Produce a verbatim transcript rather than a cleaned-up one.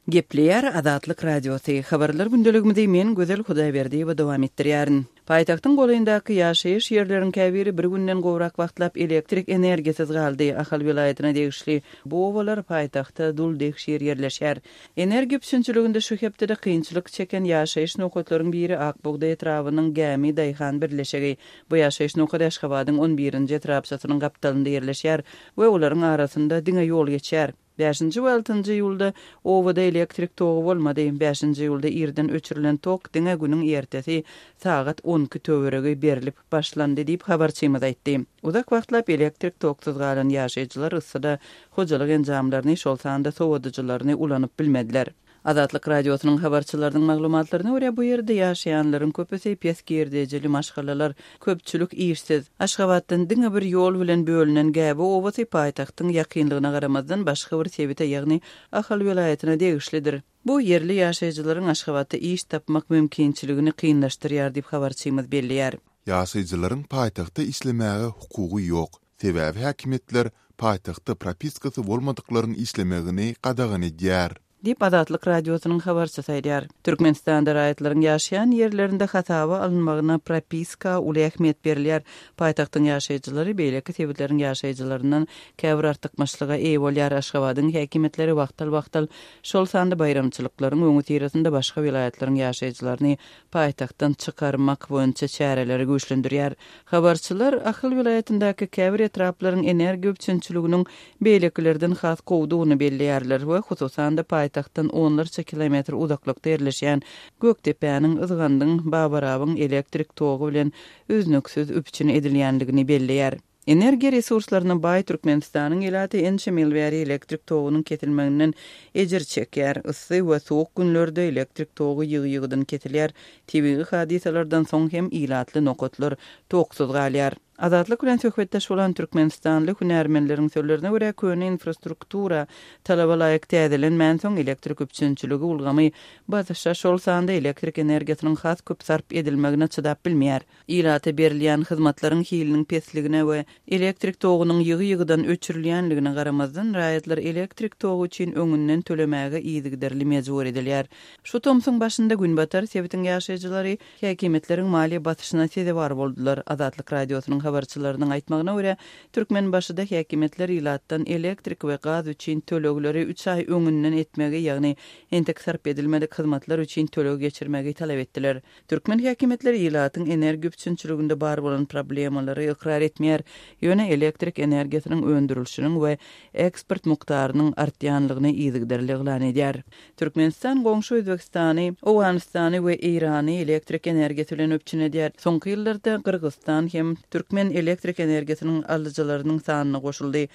Gepleýär Azatlyk Radiosy. Habarlar gündeligimizi men Gözel Hudaýberdiýewa dowam etdirýärin. Paýtagtyň golaýyndaky ýaşaýyş ýerleriň käbiri bir günden gowrak wagtlap elektrik energiýasyz galdy. Ahal welaýatyna degişli bu obalar paýtagtda duldegşir ýerleşýär. Energiýa üpjünçiliginde şu hepdede kynçylyk çeken ýaşaýyş nokatlaryň biri Ak bugdaý etrabynyň Gämi daýhan birleşigi. Bu ýaşaýyş nokady Aşgabadyň on birinji etrapçasynyň gapdalynda ýerleşýär we olaryň arasynda diňe ýol geçýär. Bäşinji we altynjy iýulda obada elektrik togy bolmady. Bäşinji iýulda irden öçürilen tok diňe günüň ertesi sagat on iki töweregi berlip başlandy diýip, habarçymyz aýtdy. Uzak wagtlap elektrik toksuz galan ýaşaýjylar yssyda hojalyk enjamlaryny, şol sanda sowadyjylaryny ulanyp bilmediler. Azatlyk Radiosynyň habarçylarynyň maglumatlaryna görä, bu ýerde ýaşaýanlaryň köpüsi pes girdejili maşgalalar, köpçülik işsiz. Aşgabatdan diňe bir ýol bilen bölünen Gäbe obasy paýtagtyň ýakynlygyna garamazdan başga bir sebite, ýagny Ahal welaýatyna degişlidir. Bu ýerli ýaşaýjylaryň Aşgabatda iş tapmak mümkinçiligini kynlaşdyrýar diýip habarçymyz belleýär. Ýaşaýjylaryň paýtagtda işlemäge hukugy ýok, sebäbi häkimiýetler paýtagtda propiskasy bolmadyklaryň işlemegini gadagan edýär. Diýip, Azatlyk Radiosynyň habarçysy aýdýar. Türkmenistanda raýatlaryň ýaşaýan ýerlerinde hasaba alynmagyna propiska uly ähmiýet berilýär. Paýtagtyň ýaşaýjylary beýleki sebitleriň ýaşaýjylaryndan käbir artykmaçlyga eýe bolýar. Aşgabadyň häkimiýetleri wagtal-wagtal, şol sanda baýramçylyklaryň öňüsyrasynda başga welaýatlaryň ýaşaýjylaryny paýtagtdan çykarmak boýunça çäreleri güýçlendirýär. Habarçylar Ahal welaýatyndaky käbir etraplaryň energiýa üpjünçiliginiň beýlekilerden has gowudygyny belleýärler we hususan-da paýtagtdan onlarça kilometr uzaklykda ýerleşýän Gökdepäniň, Yzgandyň, Babarabyň elektrik togy bilen üznüksiz üpjün edilýändigini belleýär. Energiýa resurslaryna baý Türkmenistanyň ilaty ençeme ýyl bäri elektrik togunyň kesilmeginden ejir çekýär. Yssy we sowuk günlerde elektrik togy ýygy-ýygydan kesilýär. Tebigy hadysalardan soň hem ilatly nokatlar toksuz galýar. Azatlyk bilen söhbetdeş bolan türkmenistanly hünärmenleriň sözlerine görä, köne infrastruktura talaba laýyk täzelenmänsoň elektrik üpjünçiligi ulgamy basyşa, şol sanda elektrik energiýasynyň has köp sarp edilmegine çydap bilmeýär. Ilata berilýän hyzmatlaryň hiliniň pesligine we elektrik togunyň ýygy-ýygydan öçürilýänligine garamazdan, raýatlar elektrik togy üçin öňünden tölemäge yzygiderli mejbur edilýär. Şu tomsuň başynda Günbatar sebitiň ýaşaýjylary häkimiýetleriň maliýe basyşyna sezewar boldular. Azatlyk Radiosynyň habarçylarynyň aýtmagyna görä, Türkmenbaşyda häkimiýetler ilatdan elektrik we gaz üçin tölegleri üç aý öňünden etmegi, ýagny entek sarp edilmedik hyzmatlar üçin töleg geçirmegi talap etdiler. Türkmen häkimiýetleri ilatyň energiýa üpjünçiliginde bar bolan problemalary ykrar etmeýär, ýöne elektrik energiýasynyň öndürilişiniň we eksport mukdarynyň artýanlygyny yzygiderli yglan edýär. Türkmenistan goňşy Özbegistany, Owganystany we Eýrany elektrik energiýasy bilen üpjün edýär. Soňky ýyllarda Gyrgyzystan hem türkmen elektrik energiýasynyň alyjylarynyň sanyna goşuldy.